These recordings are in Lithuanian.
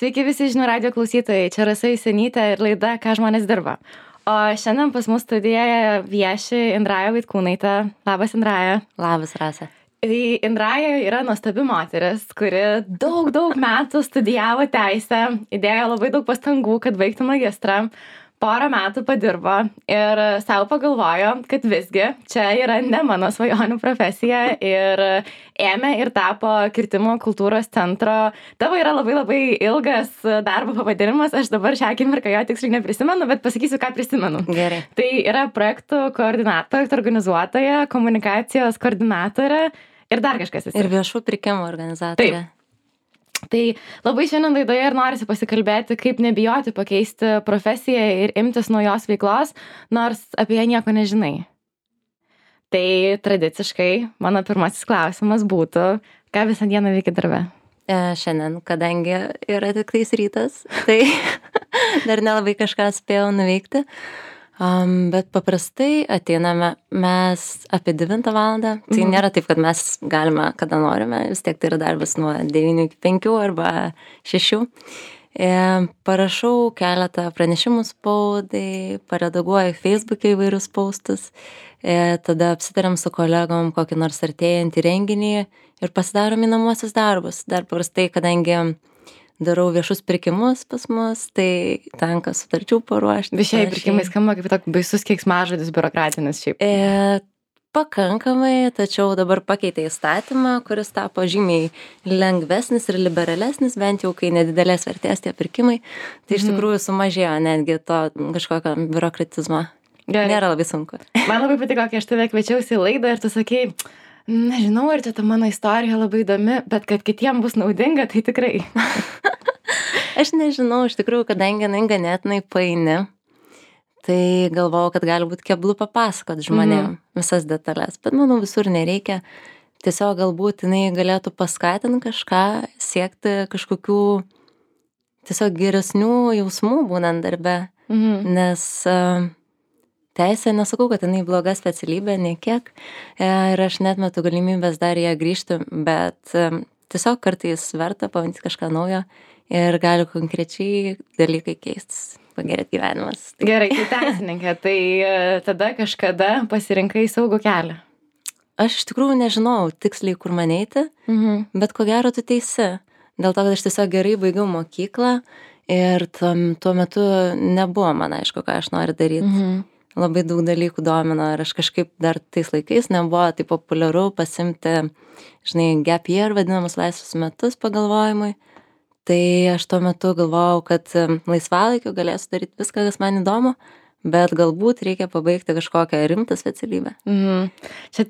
Sveiki visi žinių radijo klausytojai, čia Rasa Jusionytė ir laida Ką žmonės dirba. O šiandien pas mus studijoje vieši Indraja Vaitkūnaitė. Labas, Indraja. Labas, Rasa. Indraja yra nuostabi moteris, kuri daug metų studijavo teisę, įdėjo labai daug pastangų, kad baigtų magistrą. Porą metų padirbo ir savo pagalvojo, kad visgi čia yra ne mano svajonių profesija ir ėmė ir tapo kirtimo kultūros centro. Tavo yra labai ilgas darbo pavadinimas, aš dabar šią akimirką jo tiksliai neprisimenu, bet pasakysiu, ką prisimenu. Gerai. Tai yra projektų koordinatorė, organizuotoja, komunikacijos koordinatorė ir dar kažkas. Ir viešų pirkimų organizatorė. Taip. Tai labai šiandien laidoje ir norisi pasikalbėti, kaip nebijoti pakeisti profesiją ir imtis naujos veiklos, nors apie ją nieko nežinai. Tai tradiciškai mano pirmasis klausimas būtų, ką visą dieną veiki darbe? Šiandien, kadangi yra tik tais rytas, tai dar nelabai kažką spėjau nuveikti. Bet paprastai ateiname mes apie 9 valandą. Tai nėra taip, kad mes galime, kada norime. Vis tiek tai yra darbas nuo 9 iki 5 arba 6. Parašau keletą pranešimų spaudai, paredaguoju Facebook'e įvairius postus. Tada apsitariam su kolegom kokį nors artėjantį renginį ir pasidarom įnamuosius darbus. Dar paprastai, kadangi darau viešus pirkimus pas mus, tai tenka sutarčių paruošti. Viešieji pirkimai skamba kaip toks baisus keiksmažodis biurokratinis šiaip. Pakankamai, tačiau dabar pakeitė įstatymą, kuris tapo žymiai lengvesnis ir liberalesnis, bent jau kai nedidelės vertės tie pirkimai. Tai iš tikrųjų sumažėjo netgi to kažkokio biurokratizmo. Gerai. Nėra labai sunku. Man labai patiko, kai aš tave kviečiausi į laidą ir tu sakei, nežinau, ar čia ta mano istorija labai įdomi, bet kad kitiem bus naudinga, tai tikrai. Aš nežinau, iš tikrųjų, kadangi jinai ganėtinai paini, tai galvojau, kad gali būti keblu papasakot žmonėm visas detalės, bet manau visur nereikia. Tiesiog galbūt jinai galėtų paskatinti kažką, siekti kažkokių tiesiog geresnių jausmų būnant darbe, nes teisė, nesakau, kad jinai bloga specialybė, nei kiek, ir aš netmetu galimybės dar ją grįžti, bet tiesiog kartais verta pabandyti kažką naujo ir gali konkrečiai dalykai keistis, pagerėti gyvenimas. Gerai, tai teisininkė, tai tada kažkada pasirinkai saugų kelią. Aš iš tikrųjų nežinau tiksliai, kur man eiti, bet ko gero tu teisi. Dėl to, kad aš tiesiog gerai baigiau mokyklą ir tuo metu nebuvo man aišku, ką aš noriu daryti. Labai daug dalykų domino ir aš kažkaip dar tais laikais nebuvo taip populiaru pasimti, gap year vadinamus laisvus metus pagalvojimui. Tai aš tuo metu galvojau, kad laisvalaikiu galėsiu daryti viską, kas man įdomu, bet galbūt reikia pabaigti kažkokią rimtą specialybę. Čia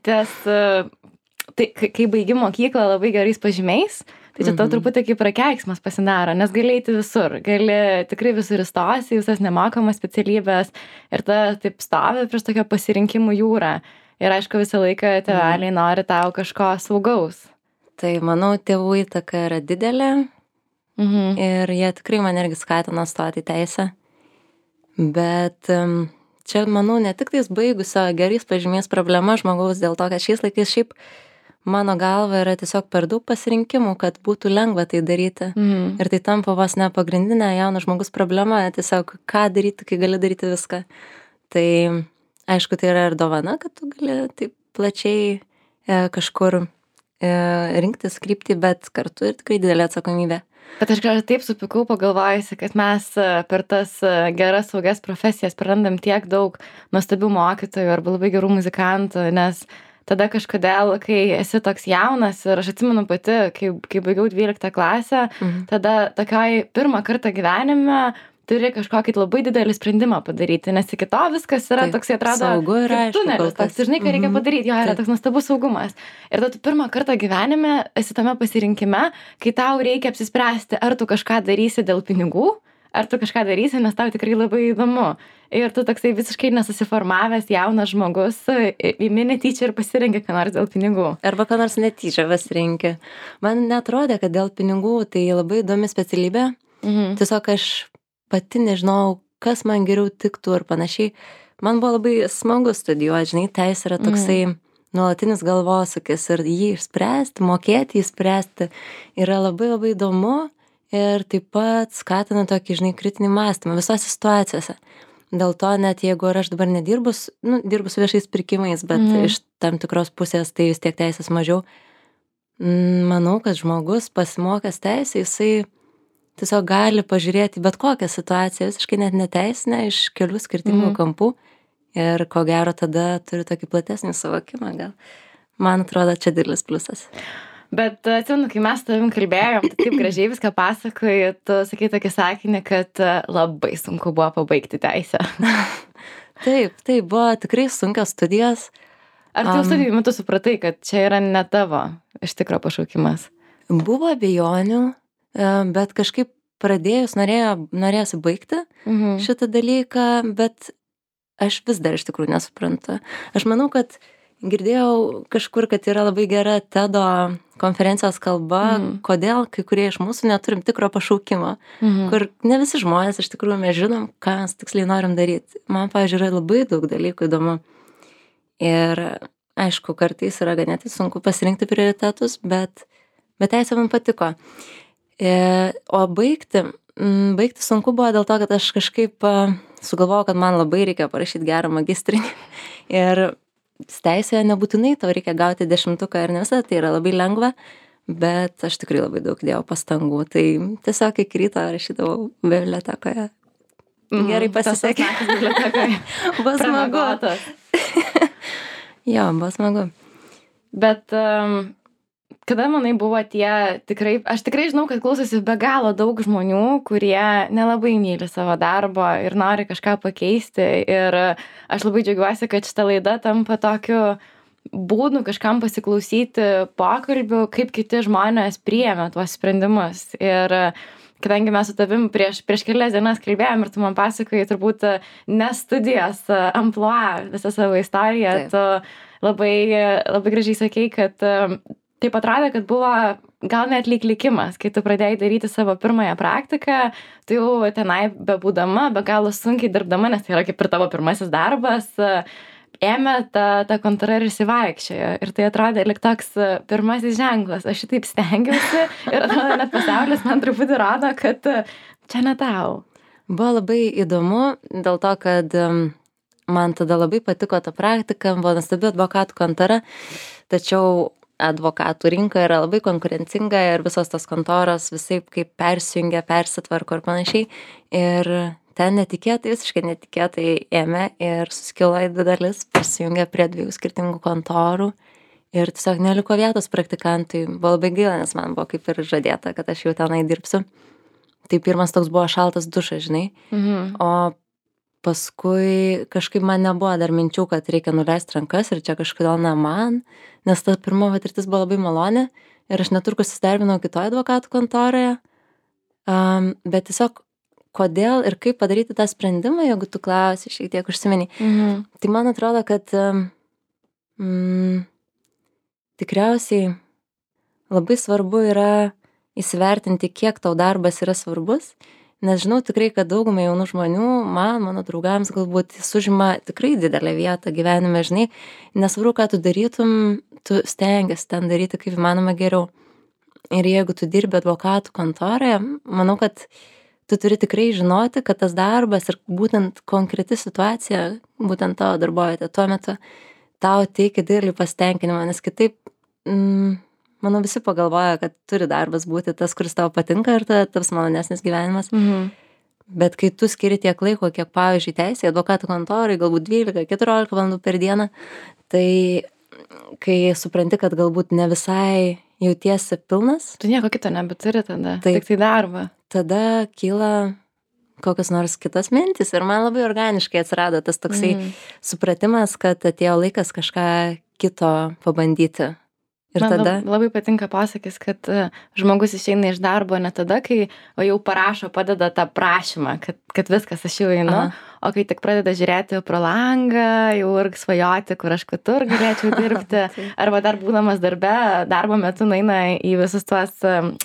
tai kai baigi mokyklą labai gerais pažymiais, tai čia tau truputį kaip prakeiksmas pasidaro, nes gali eiti visur, gali tikrai visur įstosi, visas nemokamas specialybės ir ta taip stovi prieš tokią pasirinkimų jūrą. Ir aišku, visą laiką tėveliai nori tau kažko saugaus. Tai manau, tėvų įtaka yra didelė ir jie tikrai man irgi skatino stoti į teisę. Bet čia, manau, ne tik tais baigusio gerais pažymiais problema žmogaus dėl to, kad šiais laikais šiaip mano galva yra tiesiog per daug pasirinkimų, kad būtų lengva tai daryti. Ir tai tampa vos ne pagrindinė jauno žmogus problema, tiesiog ką daryti, kai gali daryti viską. Tai aišku, tai yra ir dovana, kad tu gali taip plačiai kažkur rinktis kryptį, bet kartu ir tikrai didelė atsakomybė. Bet aš gal taip supykau pagalvojusi, kad mes per tas geras saugias profesijas prarandam tiek daug nuostabių mokytojų arba labai gerų muzikantų, nes tada kažkodėl, kai esi toks jaunas ir aš atsimenu pati, kai baigiau 12 klasę, tada tokioj pirmą kartą gyvenime turi kažkokį labai didelį sprendimą padaryti, nes iki to viskas yra toks, atrodo, saugu ir aišku, tunelis, toks, žinai, ką reikia padaryti, jo yra toks nuostabus saugumas. Ir tada tu pirmą kartą gyvenime esi tame pasirinkime, kai tau reikia apsispręsti, ar tu kažką darysi dėl pinigų, ar tu kažką darysi, nes tau tikrai labai įdomu. Ir tu toksai visiškai nesusiformavęs jaunas žmogus, imi netyčia ir pasirenki ką nors dėl pinigų. Arba ką nors netyčia pasirenki. Man netrodė, kad dėl pinigų tai labai įdomi specialybė. Tiesiog aš pati nežinau, kas man geriau tiktų ir panašiai. Man buvo labai smagu studijuoti, žinai, teisė yra toksai nuolatinis galvosūkis ir jį išspręsti, mokėti jį išspręsti yra labai labai įdomu ir taip pat skatina tokį, žinai, kritinį mąstymą visose situacijose. Dėl to net jeigu aš dabar nedirbu, dirbu su viešais pirkimais, bet iš tam tikros pusės tai vis tiek teisės mažiau, manau, kad žmogus pasimokęs teisę, jisai tiesiog gali pažiūrėti bet kokią situaciją, visiškai net neteisinę, iš kelių skirtingų kampų ir ko gero tada turi tokį platesnį suvokimą gal. Man atrodo, čia didelis pliusas. Bet atsimenu, kai mes tavim kalbėjom, tai taip gražiai viską pasakoji, tu sakai tokį sakinį, kad labai sunku buvo pabaigti teisę. Taip, buvo tikrai sunkios studijos. Ar tu studijų metu supratai, kad čia yra ne tavo iš tikro pašaukimas? Buvo abejonių, bet kažkaip pradėjus norėjosi baigti šitą dalyką, bet aš vis dar iš tikrųjų nesuprantu. Aš manau, kad girdėjau kažkur, kad yra labai gera TEDo konferencijos kalba, kodėl kai kurie iš mūsų neturim tikro pašaukimo, kur ne visi žmonės iš tikrųjų mes žinom, ką mes tiksliai norim daryti. Man, pavyzdžiui, yra labai daug dalykų įdomu. Ir aišku, kartais yra ganėtai sunku pasirinkti prioritetus, bet teisė man patiko. O baigti sunku buvo dėl to, kad aš kažkaip sugalvojau, kad man labai reikia parašyti gerą magistrinį. Ir teisėje nebūtinai tau reikia gauti 10 ir ne visada tai yra labai lengva, bet aš tikrai labai daug dėjau pastangų. Tai tiesiog iki ryto rašydavau bibliotekoje. Gerai pasisekė. Buvo smagu. Jo, buvo smagu. Bet kada, manai, buvo aš tikrai žinau, kad klausosi be galo daug žmonių, kurie nelabai myli savo darbo ir nori kažką pakeisti. Ir aš labai džiaugiuosi, kad šita laida tampa tokiu būdu kažkam pasiklausyti pokalbių, kaip kiti žmonės priėmė tuos sprendimus. Ir kadangi mes su tavim prieš kelias dienas kalbėjom ir tu man pasakojai turbūt ne studijos amplua visą savo istoriją, tu labai, labai gražiai sakei, kad taip atrodė, kad buvo gal net lyg likimas, kai tu pradėjai daryti savo pirmąją praktiką, tu jau tenai bebūdama, be galo sunkiai dirbdama, nes tai yra kaip ir tavo pirmasis darbas, ėmė ta kontora ir įsivaikščiojo. Ir tai atrodė lyg toks pirmasis ženklas. Aš šitaip stengiausi ir atrodo, net pasaulis man truputį rodo, kad čia ne tau. Buvo labai įdomu dėl to, kad man tada labai patiko ta praktika, buvo nuostabi advokatų kontora, tačiau advokatų rinka yra labai konkurencinga ir visos tos kontoros visaip kaip persijungia, persitvarko ir panašiai. Ir ten visiškai netikėtai ėmė ir suskilo į 2 dalis, prisijungė prie 2 skirtingų kontorų ir tiesiog neliko vietos praktikantui. Buvo labai gaila, nes man buvo kaip ir žadėta, kad aš jau tenai dirbsiu. Tai pirmas toks buvo šaltas dušas, žinai. O paskui kažkaip man nebuvo dar minčių, kad reikia nuleisti rankas ir čia kažkodėl ne man, nes ta pirma patirtis buvo labai maloni ir aš netrukus įsidarbinau kitoje advokatų kontoroje, bet tiesiog kodėl ir kaip padaryti tą sprendimą, jeigu tu klausi, šiek tiek užsimeni. Tai man atrodo, kad tikriausiai labai svarbu yra įsivertinti, kiek tau darbas yra svarbus. Nes žinau tikrai, kad daugumai jaunų žmonių, mano draugams galbūt užima tikrai didelę vietą gyvenime, žinai, nesvarbu, ką tu darytum, tu stengiasi ten daryti kaip įmanoma geriau. Ir jeigu tu dirbi advokatų kontoroje, manau, kad tu turi tikrai žinoti, kad tas darbas ir būtent konkreti situacija, būtent tavo darbovietė tuo metu tau teikia didelį pasitenkinimą, nes kitaip, manau, visi pagalvoja, kad turi darbas būti tas, kuris tau patinka ir tada taps malonesnis gyvenimas. Bet kai tu skiri tiek laiko, kiek, pavyzdžiui, teisė, advokatų kontorai, galbūt 12-14 valandų per dieną, tai kai supranti, kad galbūt ne visai jautiesi pilnas. Tu nieko kito nebeturi tada, tik tai darbą. Tada kyla kokios nors kitas mintis ir man labai organiškai atsirado tas toksai supratimas, kad atėjo laikas kažką kito pabandyti. Ir man tada labai patinka pasakys, kad žmogus išeina iš darbo ne tada, kai jau parašo, padeda tą prašymą, kad viskas, aš jau einu, o kai tik pradeda žiūrėti pro langą, jau ir svajoti, kur aš kitur galėčiau dirbti, arba dar būdamas darbo metu nueina į visus tuos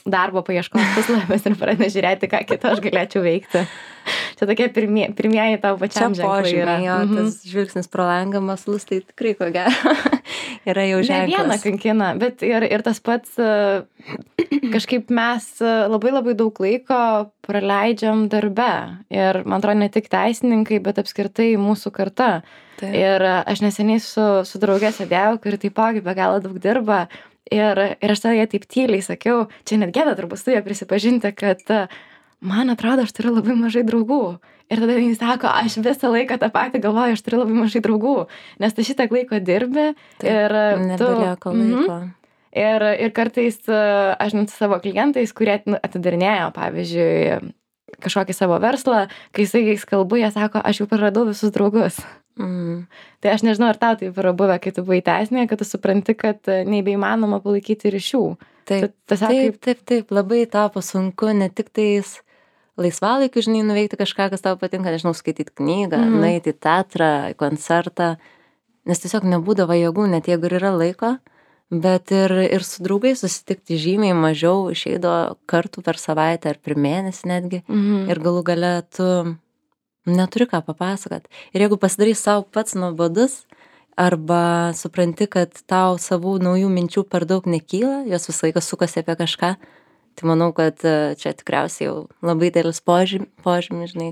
darbo paieškos puslapius ir pradeda žiūrėti, ką kito aš galėčiau veikti. Čia tokie pirmieji tau pačiam ženklai yra. Tas žvilgsnis pro langą maslus, tai tikrai ko gero yra jau Ne vieną ženklas. kankina, bet ir tas pats kažkaip mes labai labai daug laiko praleidžiam darbe. Ir man atrodo, ne tik teisininkai, bet apskritai mūsų karta. Taip. Ir aš neseniai su draugė sėdėjau, kuri taipogi be galo daug dirba. Ir aš tada jai taip tyliai sakiau, čia net gėda turbūt su ja prisipažinti, kad man atrodo, aš turiu labai mažai draugų. Ir tada jis sako, aš visą laiką tą patį galvoju, aš turiu labai mažai draugų, nes tu šitiek laiko dirbi. Taip, ir nebelieka laiko. Ir kartais aš net su savo klientais, kurie atidarinėjo, pavyzdžiui, kažkokį savo verslą, kai su jais kalbu, jie sako, aš jau praradau visus draugus. Tai aš nežinau, ar tau taip yra buvę, kai tu buvai teisinė, kad tu supranti, kad nebeįmanoma palaikyti ryšių. Taip, labai tapo sunku, ne tik tais laisvalaikiu, žinai, nuveikti kažką, kas tau patinka, nežinau, skaityti knygą, nueiti į teatrą, į koncertą, nes tiesiog nebūdavo jėgų, net jeigu ir yra laiko, bet ir su draugais susitikti žymiai mažiau, išeido kartų per savaitę ar per mėnesį netgi, ir galų gale tu neturi ką papasakot. Ir jeigu pasidarai savo pats nuobodus, arba supranti, kad tau savų naujų minčių per daug nekyla, jos visą laiką sukasi apie kažką, tai manau, kad čia tikriausiai jau labai dėlis požymis, žinai.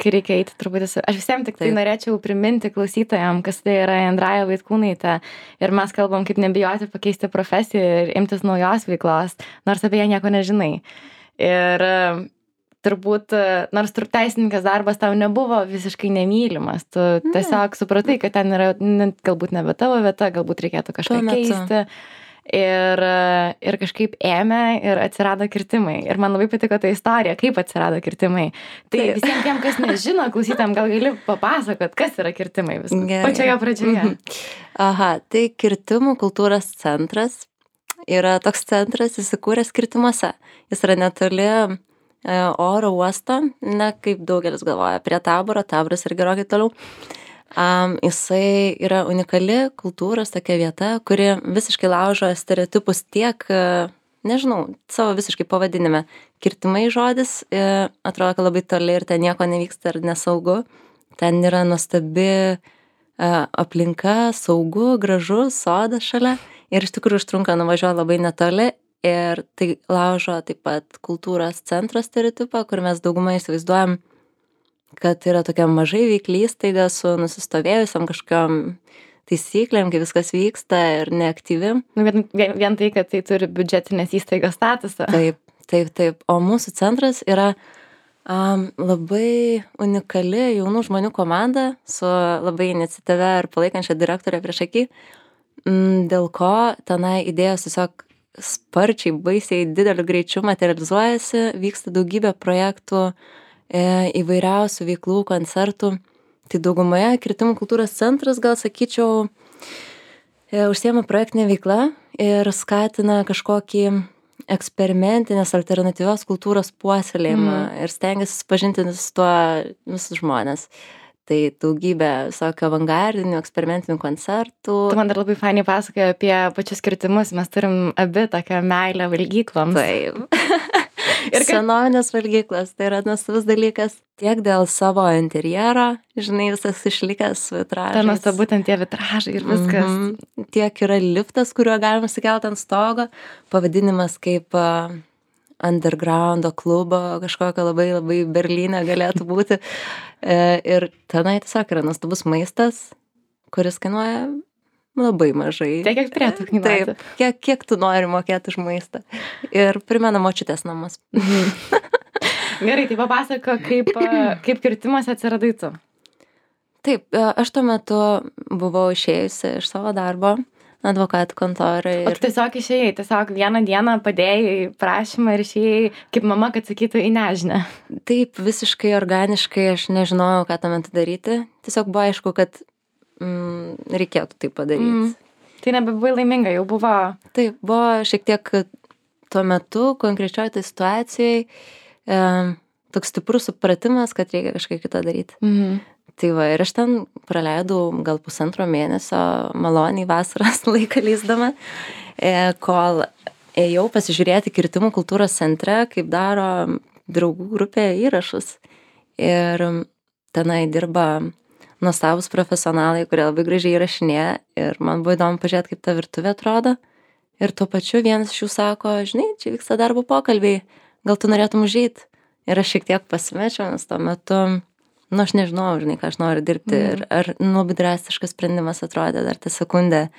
Kai reikia eiti truputį. Aš visiems tik tai norėčiau priminti klausytojams, kas tai yra Indraja Vaitkūnaitė. Ir mes kalbam, kaip nebijoti pakeisti profesiją ir imtis naujos veiklos, nors apie ją nieko nežinai. Ir turbūt, nors teisininkas darbas tau nebuvo visiškai nemylimas, tu tiesiog supratai, kad ten yra galbūt nebe tavo vieta, galbūt reikėtų kažką keisti. Ir kažkaip ėmė ir atsirado kirtimai. Ir man labai patiko ta istorija, kaip atsirado kirtimai. Tai visiems tiem, kas nežino, klausytam, gal gali papasakot, kas yra kirtimai pačioje pradžioje. Aha, tai Kirtimų kultūros centras yra toks centras įsikūręs Kirtimuose. Jis yra netoli oro uosto, ne kaip daugelis galvoja, prie Taboro, Taboras ir gerokai toliau. Jisai yra unikali kultūros tokia vieta, kuri visiškai laužo stereotipus tiek, nežinau, savo visiškai pavadinime. Kirtimai žodis, atrodo, kad labai toli ir ten nieko nevyksta ir nesaugu. Ten yra nuostabi aplinka, saugu, gražu, sodas šalia ir iš tikrųjų užtrunka nuvažiuoti labai netoli. Ir tai laužo taip pat kultūros centro stereotipą, kur mes daugumą įsivaizduojam, kad yra tokia mažai veikli įstaiga su nusistovėjusiam kažkokiam taisyklėm, kai viskas vyksta ir neaktyvi. Vien tai, kad tai turi biudžetinės įstaigos statusą. Taip. O mūsų centras yra labai unikali jaunų žmonių komanda su labai iniciatyvia ir palaikančia direktorė priešaky, dėl ko tenai idėjos tiesiog sparčiai, baisiai dideliu greičiu materializuojasi, vyksta daugybė projektų, įvairiausių veiklų, koncertų. Tai daugumoje Kirtimų kultūros centras, gal sakyčiau, užsiema projektinė veikla ir skatina kažkokį eksperimentinės alternatyvios kultūros puoselėjimą ir stengiasi susipažinti su tuo visus žmonės. Tai daugybė visokio avangardinių, eksperimentinių koncertų. Tu man dar labai fainiai pasakoji apie pačius kirtimus. Mes turim abi tokią meilę valgykloms. Taip. Ir senovinės valgyklos, tai yra nuostabus dalykas. Tiek dėl savo interjero, žinai, visas išlikęs vitražas. Tai nuostabu, būtent tie vitražai ir viskas. Tiek yra liftas, kuriuo galima sikelti ant stogo. Pavadinimas kaip undergroundo klubo, kažkokio labai, labai Berlyne galėtų būti. Ir tenai tiesiog yra nuostabus maistas, kuris kainuoja labai mažai. Tiek, kiek turėtų kainuoti. Taip, kiek tu nori mokėti už maistą. Ir primena močiutės namus. Gerai, tai papasako, kaip kirtimuose atsiradai tu. Taip, aš tuo metu buvau išėjusi iš savo darbo advokatų kontorai. O tiesiog išėjai, tiesiog vieną dieną padėjai prašymą ir išėjai, kaip mama, kad sakytų, į nežinę. Taip, visiškai organiškai, aš nežinojau, ką tuo metu daryti. Tiesiog buvo aišku, kad reikėtų tai padaryti. Tai nebebuvai laiminga, jau buvo. Taip, buvo šiek tiek tuo metu, konkrečioj tai situacijai, toks stiprus supratimas, kad reikia kažką kitą daryti. Tai va, ir aš ten praleidau gal 1,5 mėnesio maloniai vasaros laiką leisdama, kol ėjau pasižiūrėti Kirtimų kultūros centre, kaip daro draugų grupė įrašus. Ir tenai dirba nuostabūs profesionalai, kurie labai gražiai įrašinėja ir man buvo įdomu pažiūrėti, kaip ta virtuvė atrodo. Ir tuo pačiu vienas iš jų sako, žinai, čia vyksta darbo pokalbiai, gal tu norėtum užeit. Ir aš šiek tiek pasimečiau, nes tuo metu, nu, aš nežinau, žinai, ką aš noriu dirbti. Ir ar labai drastiškas sprendimas atrodė dar tą sekundę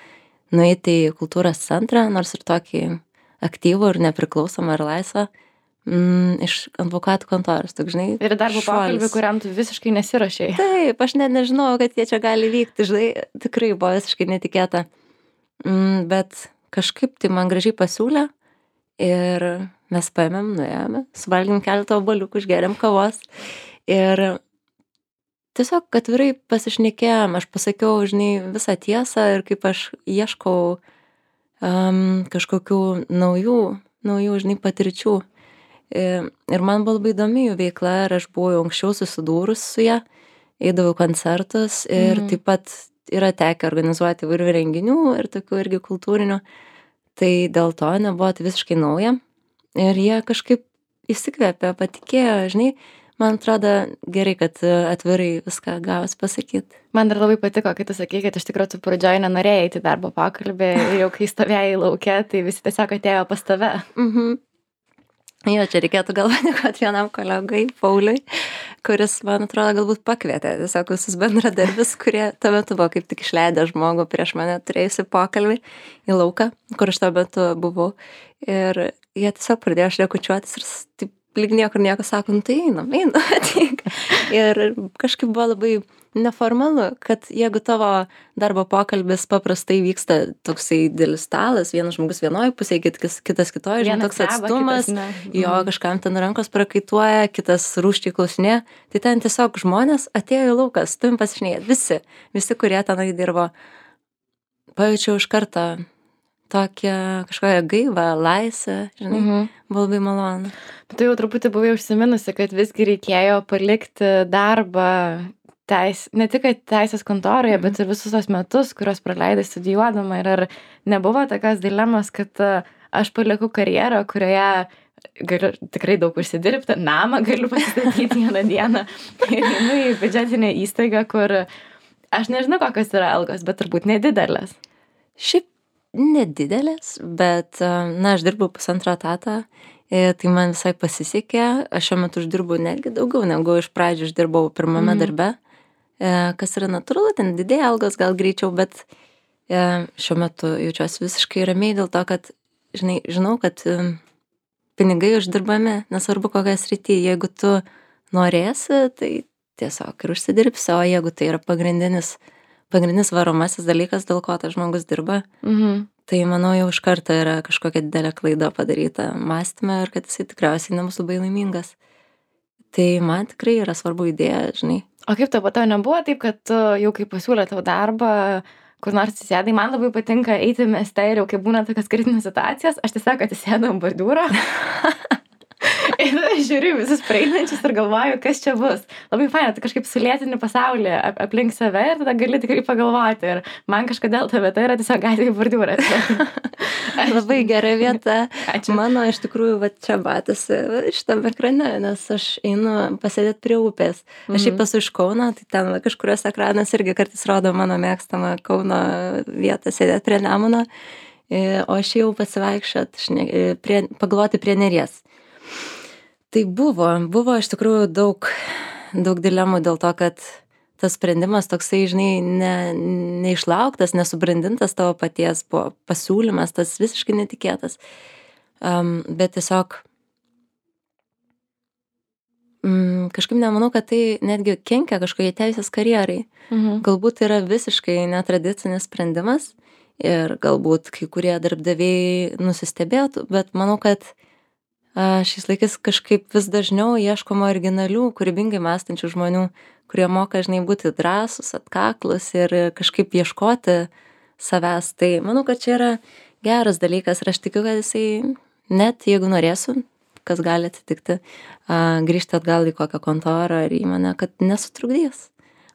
nueiti į kultūros centrą, nors ir tokį aktyvų ir nepriklausomą ir laisvą, iš advokatų kontoros, toks, žinai. Ir darbo pokalbį, kuriam tu visiškai nesirašei. Taip, aš net nežinojau, kad jie čia gali vykti, žinai, tikrai buvo visiškai netikėta. Bet kažkaip tai man gražiai pasiūlė ir mes paėmėm, nuėjome, suvalgėm keletą obuoliukų, išgėrėm kavos ir tiesiog atvirai pasišnekėjom, aš pasakiau, žinai, visą tiesą ir kaip aš ieškau kažkokių naujų, žinai, patirčių. Ir man buvo labai įdomi jų veikla ir aš buvau anksčiau susidūrus su ją, eidavau koncertus ir taip pat yra tekę organizuoti įvairių renginių ir tokių irgi kultūrinių. Tai dėl to nebuvo tai visiškai nauja. Ir jie kažkaip įsikvėpė, patikėjo, žinai, man atrodo gerai, kad atvirai viską gavos pasakyti. Man dar labai patiko, kai tu sakai, kad iš tikrųjų tu pradžioj nenorėjai eiti darbo pokalbį ir jau kai stovėjai lauke, tai visi tiesiog atėjo pas tave. Jo, čia reikėtų gal padėkoti vienam kolegai, Pauliui, kuris, man atrodo, galbūt pakvietė tiesiog visus bendradarbis, kurie tuo metu buvo kaip tik išleidę žmogų prieš mane turėjusi pokalbį į lauką, kur aš tuo metu buvau. Ir jie tiesiog pradėjo šnekučiuotis ir taip lyg niekur nieko sako, nu tai einam, ateik. Ir kažkaip buvo labai neformalu, kad jeigu tavo darbo pokalbis paprastai vyksta toksai didelis stalas, vienas žmogus vienoje pusėje, kitas kitoje, žinai, toks atstumas, jo kažkam ten rankos prakaituoja, kitas rūščiai klausinė, tai ten tiesiog žmonės atėjo į lauką, su tavim pasišnekėti, visi, kurie tenai dirbo, pajaučiau iš karto tokią kažkokią gaivą, laisvę, žinai, buvo labai malonu. Tu jau truputį buvai užsiminusi, kad visgi reikėjo palikti darbą ne tik teisės kontoroje, bet ir visus tos metus, kuriuos praleidai studijuodama. Ir ar nebuvo tokios dilemos, kad aš palieku karjerą, kurioje galiu tikrai daug užsidirbti, namą galiu pasistatyti vieną dieną ir einu į biudžetinę įstaigą, kur aš nežinau, kokios yra algos, bet turbūt nedidelės. Šiaip nedidelės, bet, na, aš dirbau 1,5 etatą, tai man visai pasisekė, aš šiuo metu uždirbu netgi daugiau, negu iš pradžių uždirbau pirmame darbe, kas yra natūralu, ten didėja algos gal greičiau, bet šiuo metu jaučiuosi visiškai ramiai dėl to, kad, žinai, žinau, kad pinigai uždirbami, nesvarbu kokią sritį, jeigu tu norėsi, tai tiesiog ir užsidirbsi, o jeigu tai yra pagrindinis varomasis dalykas, dėl ko tas žmogus dirba, tai manau jau iš karto yra kažkokia didelė klaida padaryta mąstyme ir kad jisai tikriausiai nebus labai laimingas. Tai man tikrai yra svarbu idėja, žinai. O kaip tau nebuvo taip, kad tu jau kai pasiūlė tau darbą, kur nors atsisėdai, man labai patinka eiti mieste ir jau kai būna tokios kritinės situacijas, aš tiesiog atsisėdu ant bordiūro. Ir žiūriu visus praeinančius ir galvoju, kas čia bus. Labai faina, tai kažkaip sulėtini pasaulį aplink save ir tada gali tikrai pagalvoti. Ir man kažkodėl ta vieta yra tiesiog gatvėje bordiūras. Labai gera vieta. Ačiū. Mano iš tikrųjų va čia matosi šitam ekrane, nes aš einu pasėdėti prie upės. Aš šiaip esu iš Kauno, tai ten kažkurios ekranas irgi kartais rodo mano mėgstamą Kauno vietą sėdėti prie Nemuno. O aš jau pasivaikščiot, pagalvoti prie Neries. Tai buvo iš tikrųjų daug dilemų dėl to, kad tas sprendimas toksai, žinai, neišlauktas, nesubrandintas tavo paties buvo pasiūlymas, tas visiškai netikėtas. Bet tiesiog kažkaip nemanau, kad tai netgi kenkia kažkokiai teisės karjerai. Galbūt yra visiškai netradicinis sprendimas ir galbūt kai kurie darbdaviai nusistebėtų, bet manau, kad šiais laikais kažkaip vis dažniau ieškoma originalių, kūrybingai mąstančių žmonių, kurie moka, žinai, būti drąsūs, atkaklus ir kažkaip ieškoti savęs. Tai manau, kad čia yra geras dalykas ir aš tikiu, kad jisai net, jeigu norėsiu, kas gali atsitikti, grįžti atgal į kokią kontorą ar įmonę, kad nesutrukdys.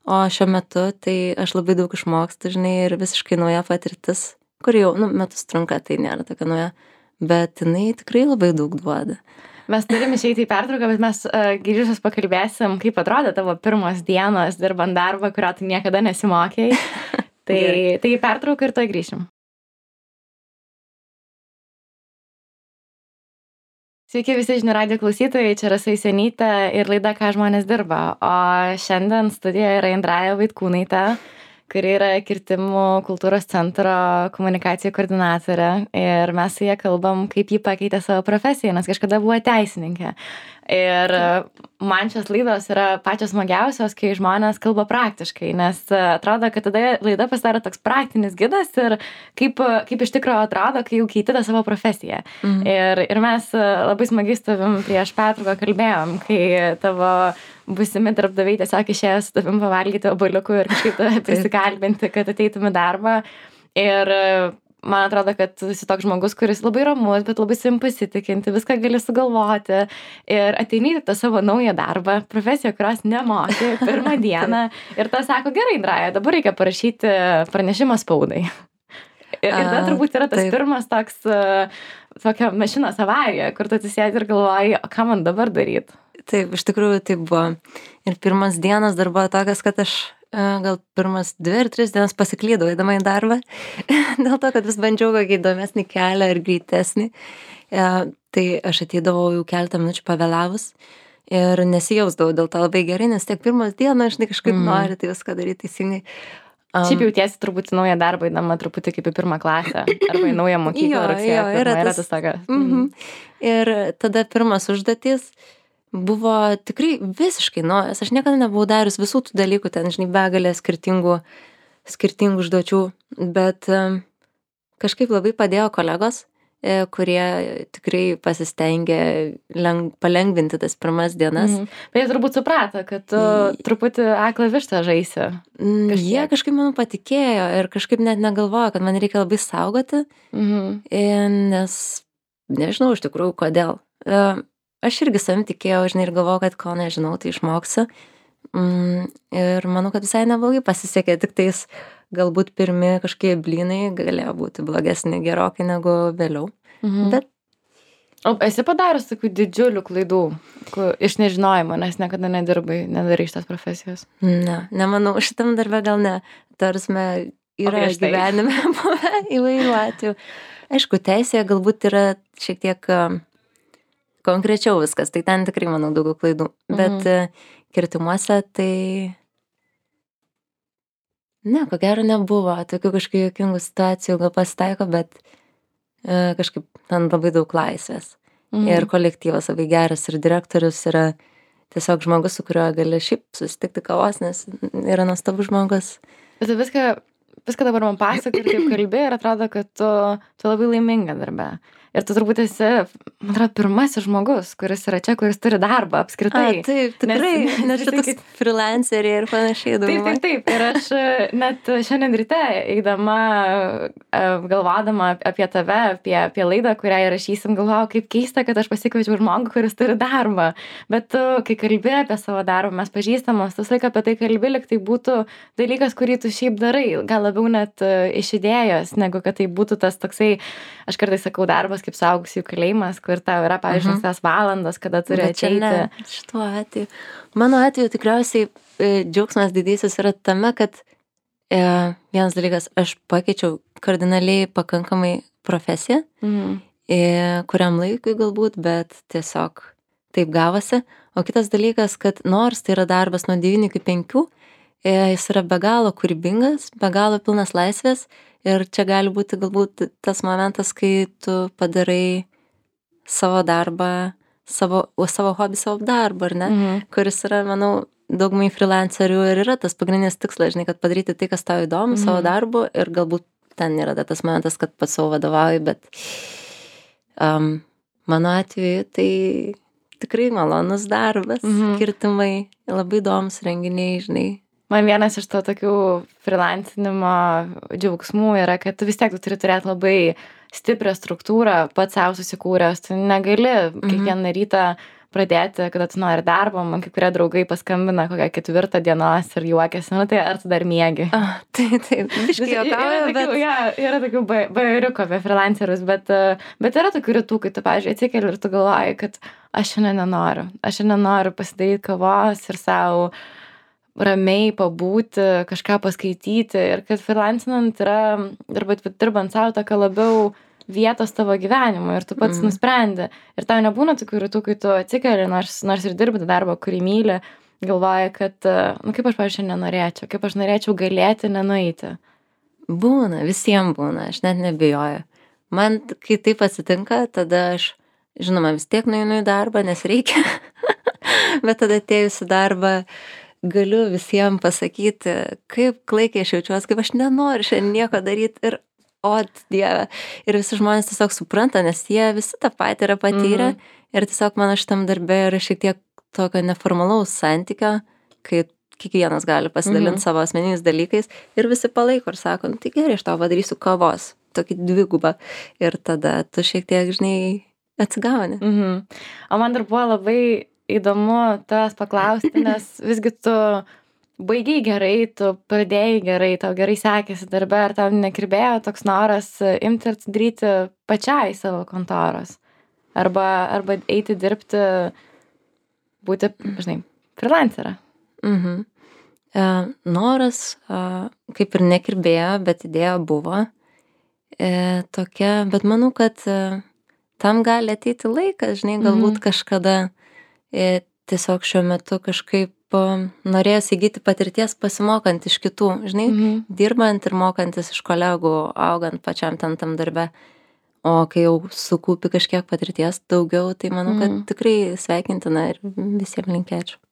O šiuo metu tai aš labai daug išmokstu, žinai, ir visiškai nauja patirtis, kur jau, metus trunka, tai nėra tokia nauja. Bet jinai tikrai labai daug duoda. Mes turim išeiti į pertrauką, bet mes grįžus pakalbėsim, kaip atrodė tavo pirmos dienos dirbant darbą, kurio tu niekada nesimokėjai. Tai pertrauką ir to grįšim. Sveiki visi žinių radijo klausytojai, čia Rasa Jusionytė ir laida Ką žmonės dirba. O šiandien studijoje yra Indraja Vaitkūnaitė, kuri yra Kirtimų kultūros centro komunikacijų koordinatorė. Ir mes su ja kalbam, kaip ji pakeitė savo profesiją, nes kažkada buvo teisininkė. Ir man šios laidos yra pačios smagiausios, kai žmonės kalba praktiškai, nes atrodo, kad tada laida pasidaro toks praktinis gidas ir kaip iš tikrųjų atrodo, kai jau keiti tą savo profesiją. Ir mes labai smagiai su tavim prieš pertrauką kalbėjom, kai tavo būsimi darbdaviai tiesiog išėjo su tavim pavalgyti obuoliukų ir kažkaip tave prisikalbinti, kad ateitum į darbą. Ir man atrodo, kad tu esi toks žmogus, kuris labai ramus, bet labai savim pasitikinti, viską gali sugalvoti ir ateini į tą savo naują darbą, profesiją, kurios nemoki pirmą dieną ir ta sako, gerai, Indraja, dabar reikia parašyti pranešimą spaudai. Ir tada turbūt yra tas pirmas toks, tokia mašinos avarija, kur tu atsisėdi ir galvoji, o ką man dabar daryti? Taip, iš tikrųjų taip buvo. Ir pirmas dienas dar buvo tokias, kad aš gal pirmas 2 ar 3 dienas pasiklydau eidama į darbą, dėl to, kad vis bandžiau kokį įdomesnį kelią ir greitesnį. Tai aš ateidavau jau keletą minučių pavėlavus ir nesijausdavau dėl to labai gerai, nes tiek pirmas dienas, žinai, kažkaip nori tai viską daryti teisingai. Šiaip jautiesi turbūt į naują darbą, įdama truputį kaip į pirmą klasę, arba į naują mokyklą rugsėjo. Yra tas tokia. Ir tada pirmas užduotis buvo tikrai visiškai naujas. Aš niekada nebuvau darius visų tų dalykų, ten, žinai, begalė skirtingų užduočių, bet kažkaip labai padėjo kolegos, kurie tikrai pasistengė palengvinti tas pirmas dienas. Bet jie turbūt suprato, kad tu truputį aklą vištą žaisi. Jie kažkaip man patikėjo ir kažkaip net negalvojo, kad man reikia labai saugoti, nes nežinau iš tikrųjų kodėl. Aš irgi savim tikėjau, žinai, ir galvojau, kad ko nežinau, tai išmoksiu. Ir manau, kad visai neblogai pasisekė, tik tais galbūt pirmi kažkokie blynai galėjo būti blogesni gerokai negu vėliau. Bet... O esi padaręs tokių didžiulių klaidų iš nežinojimo, nes niekada nedarai šitos profesijos? Nemanau, šitam darbe gal ne. Tarsi yra gyvenime buvę įvairių atvejų. Aišku, teisėje galbūt yra šiek tiek konkrečiau viskas, tai ten tikrai, manau, daugiau klaidų. Bet kirtimuose tai... Ne, ko gero nebuvo. Tokių kažkokių juokingų situacijų gal pasitaiko, bet kažkaip ten labai daug laisvės. Ir kolektyvas labai geras ir direktorius yra tiesiog žmogus, su kuriuo gali šiaip susitikti kavos, nes yra nuostabus žmogus. Bet viską dabar man pasakoji ir taip kalbi ir atrodo, kad tu labai laiminga darbe. Ir tu turbūt esi, man atrodo, pirmasis žmogus, kuris yra čia, kuris turi darbą apskritai. Taip, tikrai, nes čia toks freelanceriai ir panašiai daugumą. Taip. Ir aš net šiandien ryte, eidama, galvodama apie tave, apie laidą, kurią įrašysim, galvojau, kaip keista, kad aš pasikviečiau žmogų, kuris turi darbą. Bet tu, kai kalbi apie savo darbą, mes pažįstamos, tas laik apie tai kalbi, lyg tai būtų dalykas, kurį tu šiaip darai, gal labiau net iš idėjos, negu kad tai būtų tas toksai, aš kartais sakau, darbas kaip suaugusių kalėjimas, kur tau yra, pavyzdžiui, tas valandas, kada turi ateiti. Šituo atveju. Mano atveju tikriausiai džiaugsmas didysis yra tame, kad vienas dalykas, aš pakeičiau kardinaliai pakankamai profesiją, kuriam laikui galbūt, bet tiesiog taip gavosi. O kitas dalykas, kad nors tai yra darbas nuo 9 iki 5, jis yra be galo kūrybingas, be galo pilnas laisvės. Ir čia gali būti galbūt tas momentas, kai tu padarai savo darbą, savo hobį, savo darbą, ar ne? Kuris yra, manau, daugumai freelancerių ir yra tas pagrindinis tikslas, žinai, kad padaryti tai, kas tau įdomu, savo darbu ir galbūt ten yra tas momentas, kad pats savo vadovauji, bet mano atveju tai tikrai malonus darbas, kirtimai, labai įdomus renginiai, žinai. Man vienas iš to tokių freelancinimo džiaugsmų yra, kad tu vis tiek tu turi turėti labai stiprią struktūrą, pats savo susikūręs. Tu negali kiekvieną rytą pradėti, kada tu nori darbo, man kai kurie draugai paskambina kokią 4 dienos ir juokiasi, nu tai ar tu dar miegi? Taip, biškai juokauju, bet... Yra tokių bajeriukų apie freelancerius, bet yra tokių rytų, kai tu, pavyzdžiui, atsikeli ir tu galvoji, kad aš šiandien nenoriu pasidaryti kavos ir savo ramiai pabūti, kažką paskaityti ir kad freelancinant yra, arba dirbant savo tokia labiau vietos tavo gyvenimo ir tu pats nusprendi. Ir tau nebūna tokių rytų, kai tu atsikeli, nors ir dirbi tą darbą, kurį myli, galvoji, kad, kaip aš, pavyzdžiui, nenorėčiau, kaip aš norėčiau galėti nenueiti. Būna, visiems būna, aš net nebijoju. Man, kai taip atsitinka, tada aš, žinoma, vis tiek nueinu į darbą, nes reikia, bet tada atėjus į darbą galiu visiems pasakyti, kaip klaikiai aš jaučiuosi, kaip aš nenoriu šiandien nieko daryti ir Dieve. Ir visi žmonės tiesiog supranta, nes jie visi tą patį yra patyrę ir tiesiog mano šitam darbe yra šiek tiek tokio neformalaus santykio, kai kiekvienas gali pasidalinti savo asmeniniais dalykais ir visi palaiko ir sako, nu tai gerai, aš tau padarysiu kavos, tokį dvigubą ir tada tu šiek tiek, žinai, atsigauni. O man dar buvo labai įdomu tavęs paklausti, nes visgi tu baigiai gerai, tu pradėjai gerai, tau gerai sekėsi darbe, ar tau nekirbėjo toks noras imti ir daryti pačiai savo kontoros? Arba eiti dirbti, būti, žinai, freelancerą? Noras kaip ir nekirbėjo, bet idėja buvo tokia, bet manau, kad tam gali ateiti laikas, žinai, galbūt kažkada tiesiog šiuo metu kažkaip norėjęs įgyti patirties pasimokant iš kitų, žinai, dirbant ir mokantis iš kolegų, augant pačiam tam darbe. O kai jau sukūpi kažkiek patirties daugiau, tai manau, kad tikrai sveikintina ir visiems linkėčiau.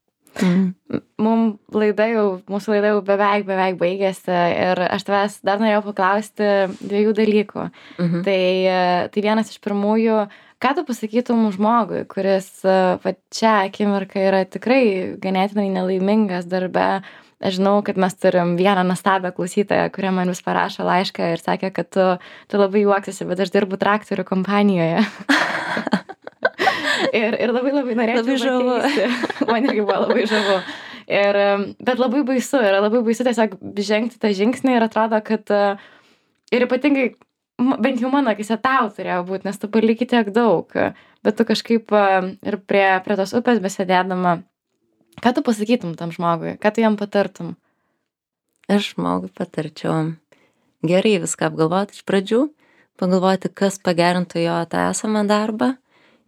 Mūsų laida jau beveik baigėsi ir aš tavęs dar norėjau paklausti 2 dalykų. Tai vienas iš pirmųjų, ką tu pasakytum žmogui, kuris šią akimirką yra tikrai ganėtinai nelaimingas darbe? Aš žinau, kad mes turim vieną nuostabią klausytoją, kurią man vis parašo laišką ir sakė, kad tu labai juoksiesi, bet aš dirbu traktorių kompanijoje. ir labai norėčiau pakeisti. Man irgi buvo labai žavu. Bet labai baisu tiesiog žengti tą žingsnį ir atrodo, kad ir ypatingai bent jau mano akise tau turėjo būti, nes tu paliki tiek daug, bet tu kažkaip ir prie tos upės besėdėdama, ką tu pasakytum tam žmogui, ką tu jam patartum? Aš žmogui patarčiau gerai viską apgalvoti iš pradžių, pagalvoti, kas pagerintų jo tą esamą darbą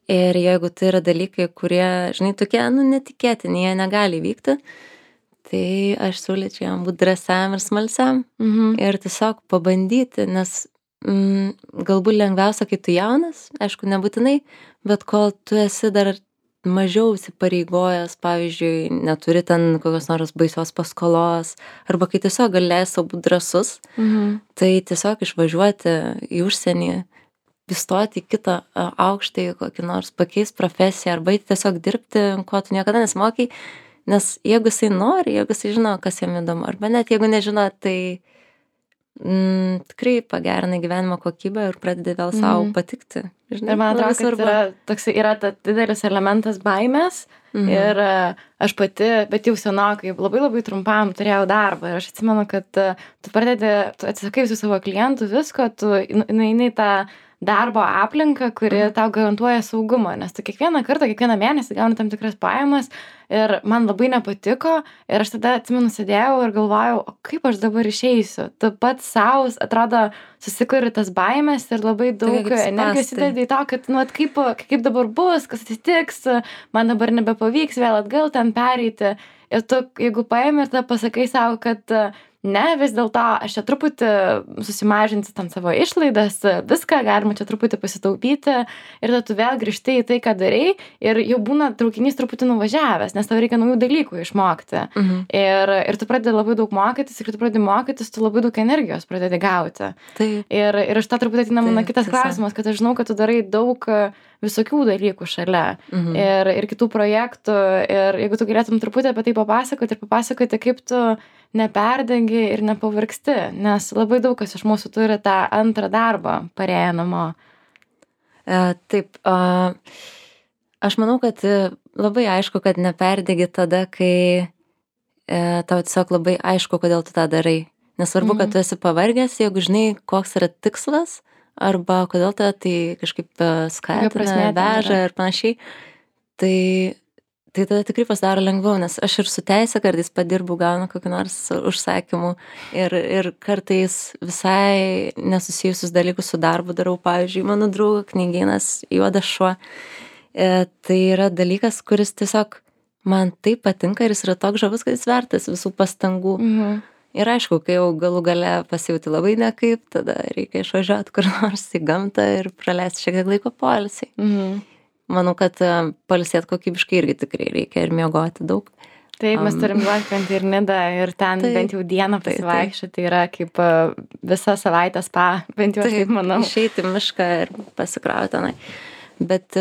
ir jeigu tai yra dalykai, kurie, žinai, tokie, netikėtini, jie negali vykti, tai aš siūlyčiau jam būti drąsiam ir smalsiam ir tiesiog pabandyti, nes galbūt lengviausia, kai tu jaunas, aišku, nebūtinai, bet kol tu esi dar mažiau įsipareigojęs, pavyzdžiui, neturi ten kokios nors baisios paskolos, arba kai tiesiog gali leisti savo būti drąsus, tai tiesiog išvažiuoti į užsienį, įstoti į kitą aukštąjį, kokį nors pakeisti profesiją, arba tiesiog dirbti, ko tu niekada nesimokai, nes jeigu jisai nori, jeigu jisai žino, kas jam įdomu, arba net jeigu nežino, tai tikrai pagerina gyvenimo kokybę ir pradedi vėl savo patikti. Žinai, ir man atrodo, kad yra didelis elementas baimės ir aš pati, bet jau senokai, labai trumpam turėjau darbą ir aš atsimenu, kad tu atsisakai visų savo klientų, visko, tu eini į tą darbo aplinką, kuri tau garantuoja saugumą, nes tu kiekvieną mėnesį gauni tam tikras pajamas ir man labai nepatiko ir aš tada atsimenu sėdėjau ir galvojau, o kaip aš dabar išeisiu? Tu pats savo, atrodo, susikuri tas baimės ir labai daug energijos įdedi į to, kad, kaip dabar bus, kas atsitiks, man dabar nebepavyks vėl atgal ten pereiti. Ir tu, jeigu paimi ir tada pasakai savo, kad ne, vis dėlto aš čia truputį susimažinti tam savo išlaidas, viską galima čia truputį pasitaupyti ir tada tu vėl grįžti į tai, ką darai ir jau būna traukinys truputį nuvažiavęs, nes tau reikia naujų dalykų išmokti. Ir tu pradedi labai daug mokytis ir tu pradedi mokytis, tu labai daug energijos pradedi gauti. Ir iš to truputį ateina mano kitas klausimas, kad aš žinau, kad tu darai daug visokių dalykų šalia ir kitų projektų ir jeigu tu galėtum truputį apie tai papasakoti, kaip tu neperdengi ir nepavargsti, nes labai daug kas iš mūsų turi tą antrą darbą parėję namo. Taip, Aš manau, kad labai aišku, kad neperdegi tada, kai tau tiesiog labai aišku, kodėl tu tą darai. Nesvarbu, kad tu esi pavargęs, jeigu žinai, koks yra tikslas, arba kodėl tai kažkaip skatina, veža ir panašiai, tai tada tikrai pasidaro lengviau, nes aš ir su teise kartais padirbu, gaunu kokį nors užsakymų ir kartais visai nesusijusius dalykus su darbu darau, pavyzdžiui, mano draugo knygynas Juodas šuo. Tai yra dalykas, kuris tiesiog man taip patinka ir jis yra toks žavus, kad jis vertas visų pastangų. Ir aišku, kai jau galų gale pasijauti labai nekaip, tada reikia išvažiuoti kur nors į gamtą ir praleisti šiek tiek laiko poilsiai. Manau, kad pailsėti kokybiškai irgi tikrai reikia ir miegoti daug. Taip, mes turim Juodkrantę ir Nidą ir ten bent jau dieną pasivaikščioti, tai yra kaip visą savaitę spa, bent jau aš taip manau. Išeiti į mišką ir pasikrauti tenai. Bet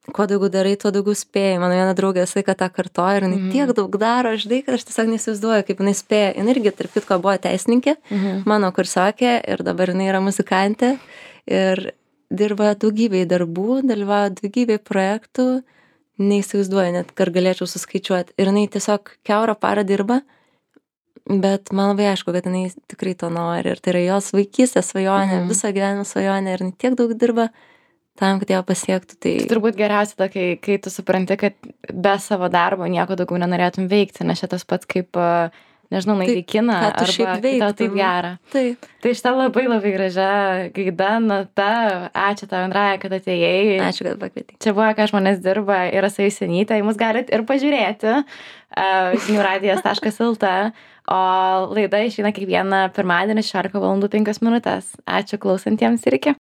kuo daugiau darai, tuo daugiau spėjai. Mano viena draugė visą laiką tą kartoja ir jinai tiek daug daro, žinai, kad aš tiesiog neįsivaizduoju, kaip jinai spėja. Jinai irgi, tarp kitko, buvo teisininkė, mano kursiokė, ir dabar jinai yra muzikantė ir dirba daugybėj darbų, dalyvauja daugybėj projektų, neįsivaizduoju net, ar galėčiau suskaičiuoti. Ir jinai tiesiog kiaurą parą dirba, bet man labai aišku, kad jinai tikrai to nori. Ir tai yra jos vaikystės svajonė, viso gyvenimo svajonė, ir jinai tiek daug dirba tam, kad ją pasiektų. Tai turbūt geriausia, kai tu supranti, kad be savo darbo nieko daugiau nenorėtum veikti, nes šitas pats kaip, nežinau, nueiti į kiną, arba tau taip gera. Taip. Tai šitą labai labai gražia gaida, Nata, ačiū tau, Andraja, kad atėjai. Ačiū, kad pakvietei. Čia buvo, ką žmonės dirba, yra Saisenytė, mus galit ir pažiūrėti žiniųradijas.lt, o laida išeina kiekvieną pirmadienį 16:05. Ačiū klausantiems ir iki.